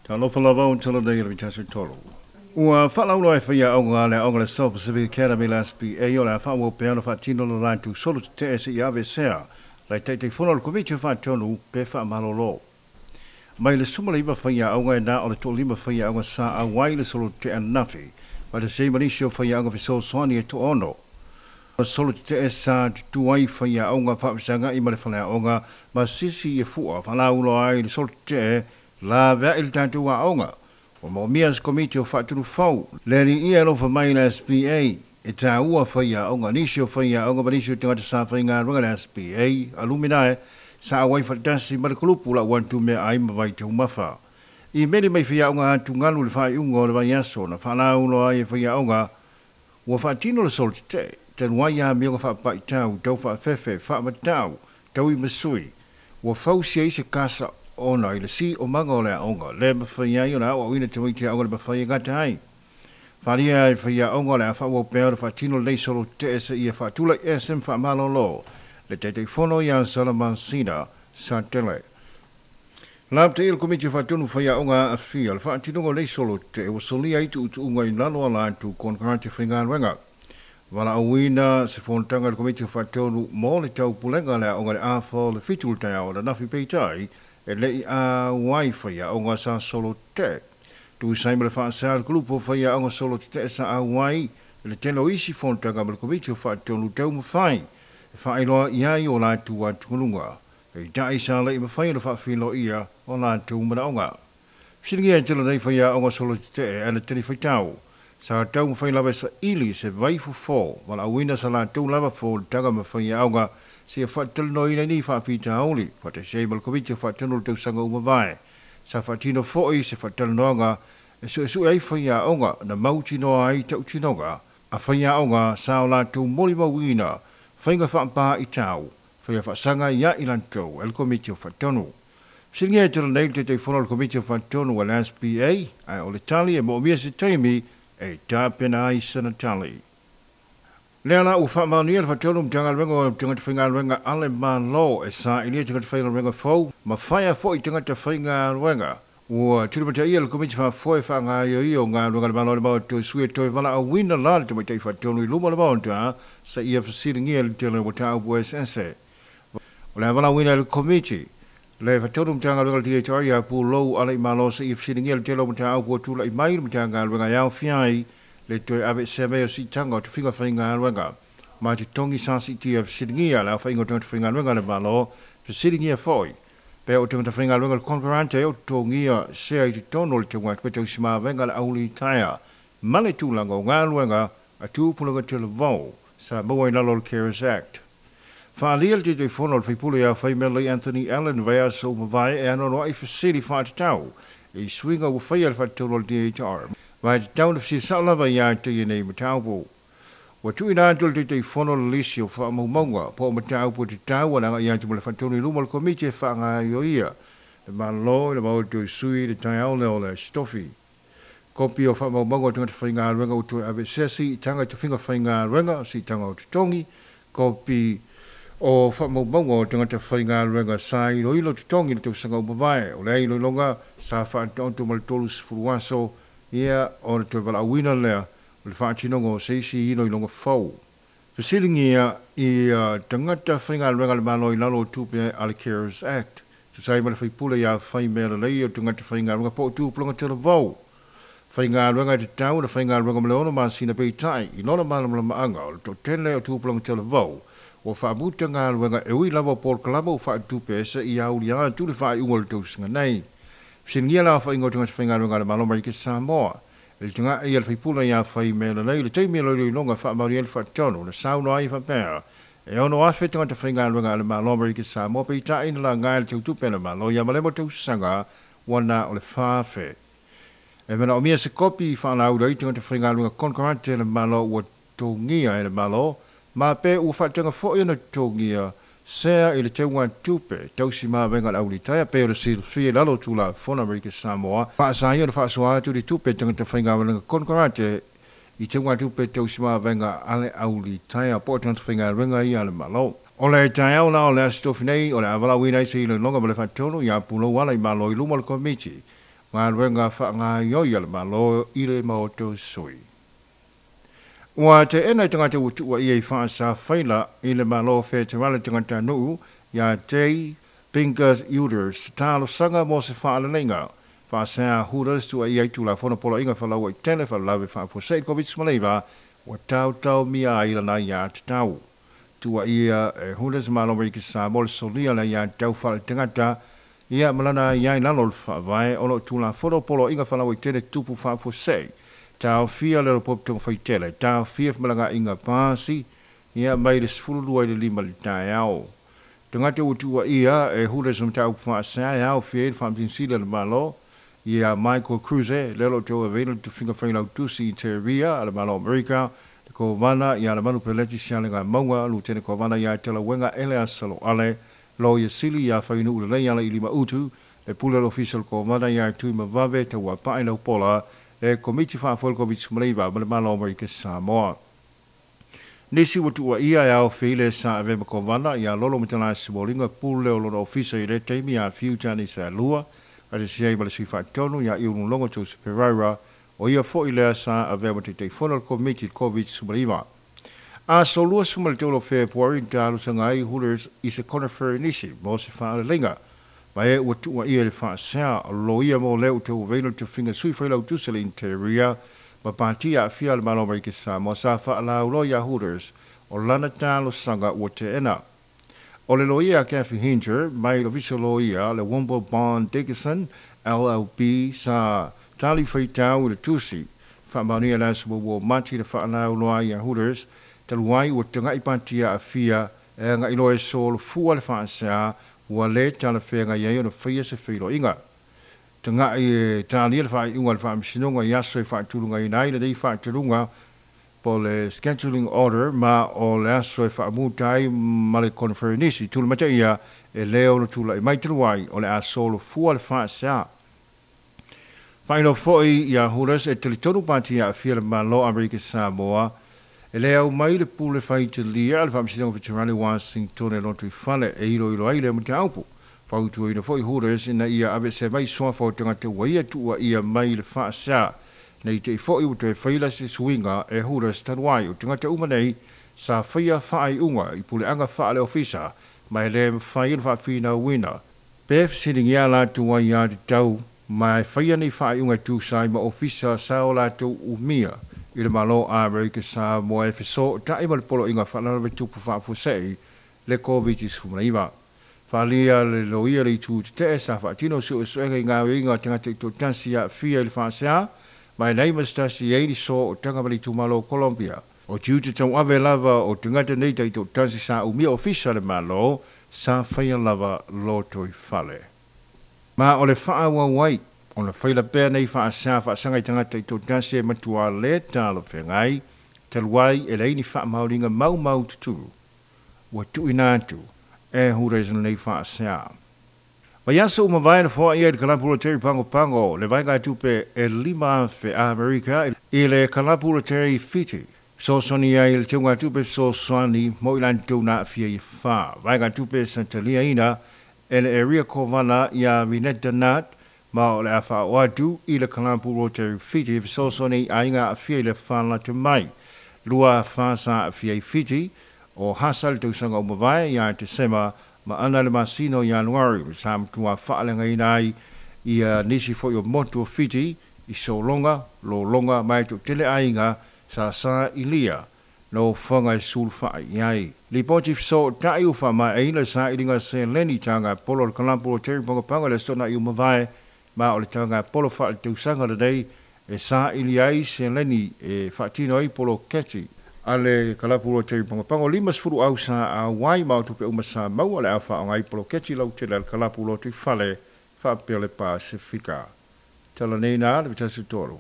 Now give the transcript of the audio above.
Talofa lava o tala nei le vitasi tolu. Ua faalauiloa e faiaoga le aoga le South Pacific Academy le SPA o le a faaauau pea ona faatino le latou solo tetee seia aveesea le Taitaifono o le Komiti Faatonu pe faamalolo. Mai le 19 faiaoga e na o le 15 faiaoga sa auai le solo tetee ananafi, faatasi ai ma nisi o faiaoga fesoasoani e 6. Solo tetee sa tutu ai faiaoga faafesagai ma le faleaoga ma sisi e fua faalauiloa ai le solo tetee laveai le tatou aoga. Ua moomia se komiti o faatunufau le alii e alofa mai le SPA e taua faiaoga nisi o faiaoga ma nisi o tagata sa faigaluega le SPA aluminae sa auai faatasi ma le kulupu lau atu meaai ma vaitaumafa. I meli mai faiaoga atugalu le faaiuga o le vaiaso na faalauiloa ai e faiaoga ua faatino le solo tetee talu ai amioga faapaitau tau faafefe faamatau tau i masui ua fausia ai se kasa ona i le si o maga o le aoga le mafai ai ona aoaoina tamaiti aoga le mafai e gata ai. Faaalia e faiaoga o le a faaauau pea ona faatino lenei solo tetee seia faatulaiese ma faamalolo le Taitaifono ia Salamasina Satele. Lapataia le Komiti Faatonu faiaoga aafia le faatinoga o lenei solo tetee ua solia ai tuutuuga i lalo o latou konekarate faigaluega. Valaauina se fonotaga i le Komiti Faatonu mo le taupulega le aoga le afa o le 7 le taeao ananafi, peitai e le i auai faiaoga sa solo tetee. Tusa ai ma le faasea le kulupu o faiaoga solo tetee sa auai i le tele o isi fonotaga ma le Komiti Faatonu taumafai e faailoa i ai o latou atugaluga. Peitai sa le i mafai ona faafiloia o latou manaoga. Fesiligia e tele nei faiaoga solo tetee ana talifuaitau. Sa taumafai lava e saili se vaifofo valaauina sa latou lava fonotaga ma faiaoga seia faatalanoaina ai nei faafitauli faatasi ai ma le Komiti Faatonu o le tausaga ua mavae. Sa faatino foi se faatalanoaga e suesue ai faiaoga na mautinoa ai tautinoga a faiaoga sa o latou molimauina faiga faapaitau faia faasaga ia i latou e le Komiti Faatonu. Fesiligia e tele nei le Taitaifono o le Komiti Faatonu a le SPA, ae o le tali e moomia se taimi e tapena ai sana tali. Lea la ua faamaonia le faatonu Matagaluega o Tagata Faigaluega a le Malo e sailia tagata faigaluega fou ma faia foi tagata faigaluega. Ua tulimataia le Komiti Faafoe faagaioia o galuega le Malo le Maota sui e toe valaauina la le tamaitai faatonu i luma o le Maota seia fesiligia le tele o mataupu eseese. O le a valaauina e le Komiti le faatonu Matagaluega le DHR ia Pulou Alaimalo seia fesiligia le tele o mataupu ua tulai mai le Matagaluega e aofia ai le toe aveesea mai o siitaga o tofiga faigaluega ma totogi sa siitia. Fesiligia le aofaiga o tagata faigaluega a le Malo. Fesiligia foi pe o tagata faigaluega le konekarate o totogia sea i totonu o le tauga tausimavega le aulitaia ma le tulaga o galuega a tupulaga talavou sa maua i lalo o le CARES Act. Faaalia le Taitaifono o le faipule ia Faimele Anthony Allen vaiaso ua mavae e anoanoai fesili faatatau i suiga ua faia le faatataulo o le DHR. Ma e tatau na fesili sao lava ia te ia nei mataupu. Ua tuuina atu le Taitaifono le lisi o faamaumauga po o mataupu e tatau ona agai atu ma le faatonu i luma o le Komiti e faagaioia le Malo i le Maota o Sui i le taeao lea o le Aso Tofi. Kopi o faamaumauga o tagata faigaluega ua toe aveesea siitaga i tofiga faigaluega, siitaga o totogi, kopi o faamaumauga o tagata faigaluega sa iloilo totogi i le tausaga ua mavae. O lea iloiloga sa faataoto ma le 30 aso ia o le toe valaauina lea o le faatinoga o se isi iloiloga fou. Fesiligia i tagata faigaluega le Malo i lalo o tupe a le CARES Act. Tusa ai ma le faipule ia Faimealelei o tagata faigaluega po o tupulaga talavou faigaluega e tatau ona faigaluega ma le 6 masina, peitai i lona malamalamaaga o le toatele o tupulaga talavou ua faamuta galuega e ui lava o polokalama ua faatupe seia aulia atu le faaiuga o le tausaga nei. Fesiligia le aofaiga o tagata faigaluega a le Malo Amerika Samoa. I le tagai a le faipule ia Faimealelei i le taimi o le iloiloga faamaonia le faatonu na saunoa ai faapea e 6,000 tagata faigaluega a le Malo Amerika Samoa, peitai na laga e le tautupe a le Malo ia malemo tausaga ua na o le 4,000. E manaomia se kopi faalauiloa ai tagata faigaluega konekarate le Malo ua totogia e le Malo ma pe ua faataga foi ona totogia sea i le tauga tupe tausimavega le aulitaia pe o le silafia i lalo o Tulafono Amerika Samoa faasaia ona faasoa atu le tupe tagata faigaluega konekarate i tauga tupe tausimavega a le aulitaia po o tagata faigaluega ia a le Malo. O le taeao la o le Aso Tofi nei o le a valaauina ai se iloiloga ma le faatonu ia Pulou Alaimalo i luma o le Komiti. Galuega faagaoioi a le Malo i le maota o sui. Ua teena e tagata ua tuuaia i faasa faila i le Malo Feterale tagatanuu ia Jay Bingus Uders talosaga mo se faaleleiga. Faasea Hooters tuuaia i Tulafono Poloaiga Falauaitele Faalavelave Faafuasei Koviti-19 ua taotaomia ai lana aiatatau. Tuuaia e Hooters Malo Amerika Samoa le solia o le aiatatau faaletagata ia ma lana aia i lalo o le Faavae o lo o Tulafono Poloaiga Falauaitele Tupu Faafuasei. Taofia le Lopopo Faitele, taofia femalagaaiga pasi ia mai le 12 i le 5 i le taeao. Tagata ua tuuaia e Hooters o mataupu faasea e aofia ai le Faamasino Sili a le Malo ia Michael Kruse, lea o lo o tauaveina le tofiga failautusi Interior a le Malo o Amerika, le Kovana ia Lemanu Peleti Sialegamauga, Lutene Kovana ia Talauega Eleasa Loale, Loia Sili ia Fainuu Lelei Alailima Utu, le Pule o le Ofisa o le Kovana ia Tuimavave Tauapaai Laupola, le Komiti Faafoe o le Koviti-19 ma le Malo o Amerika Samoa. Nisi ua tuuaia e aofia ai le sa avea ma Kovana ia Lolo Matalai Simuliga, pule o lona ofisa i lea taimi ia Fiu Tani Saelua, faatasi ai ma le sui faatonu ia Iululogo Joseph Pereira, o ia foi lea sa avea ma Taitaifono o le Komiti i le Koviti-19. Aso 23 o Fepuari na talosaga ai Hooters i se koneferenisi mo se faaleleiga, ma e ua tuuaia i le faasea o loia mo lea ua tauaveina le tofiga sui failautusi a le Interior ma pati aafia a le Malo o Amerika Samoa sa faalauloa ia Hooters o lana talosaga ua teena. O le loia a Kathy Hinger mai le Ofisa o Loia le Womble Bond Dickinson LLP sa tali faitau i le tusi faamaonia i le aso muamua o Mati le faalauloa ai ia Hooters talu ai ua tagai pati aafia e agai loa e solofua le faasea ua le talafeagai ai ona faia se feiloaiga. Tagai e talia le faaiuga a le Faamasinoga i aso e faatulagaina ai lenei faataluga po o le scheduling order ma o le aso e faamuta ai ma le koneferenisi tulimataia e le ono tulai mai talu ai o le a solofua le faasea. Faailoa foi ia Hooters e talitonu pati aafia le Malo o Amerika Samoa e le au mai le pule faitalia a le Faamasinoga Feterali o Washington e lotoifale e iloilo ai lea mataupu. Fautuaina foi Hooters ina ia aveesea mai suafa o tagata ua ia tuuaia mai le faasea. Nei te i foi ua toe faila se suiga e Hooters talu ai o tagata uma nei sa faia faaiuga i puleaga faale-ofisa ma e le mafai ona faafinauina pe fesiligia latou aiatatau ma e faia nei faaiuga e tusa ai ma ofisa sa o latou umia i le Malo a Amerika Samoa e fesootai ma le Poloaiga Faalavelave Tupu Faafuasei le Koviti-19. Faaalia le loia le itu tetee sa faatino suesuega i gaoioiga a tagata i toatasi aafia i le faasea ma e leai ma se tasi e i ai le sootaga ma le itumalo o Colombia. O tiute tauave lava o tagata nei taitoatasi sa umia ofisa a le Malo sa faia lava lotoifale. Ma o le faaauau ai ona faila pea nei faasea faasaga i tagata taitoatasi e matua le talafeagai talu ai e leai ni faamaoniga maumaututu ua tuuina atu e Hooters lenei faasea. Vaiaso ua mavae na foaia i le kalapu loteri Pagopago le vaegatupe e 5,000 Amerika i le kalapu loteri Fiti. Fesoasoani ai i le teugatupe fesoasoani mo i latou na aafia i afa. Vaegatupe sa taliaina e le Area Kovana ia Vineta Nat ma o le a faaoo atu i le kalapu loteri Fiti e fesoasoani i aiga aafia i le afa lata mai. Lua afa sa aafia i Fiti o Hasa i le tausaga ua mavae ia Tesema ma ana le masina o Ianuari sa matua faaleagaina ai ia nisi foi o motu o Fiti i sologa, lologa ma e toatele aiga sa sailia nofoaga e sulufai i ai. Lipoti fesootai ua faamaeaina le sailiga seleni taga polo o le kalapu o Terry Pagopago i le aso Toonai ua mavae ma o le taga polo faaletausaga lenei e saili ai seleni e faatino ai poloketi a le kalapu loteri Pagopago. 50 au sa auai ma o tupe uma sa maua o le a faaaoga ai poloketi lautele a le kalapu lotoifale faapea le Pasefika. Tala nei na le 13.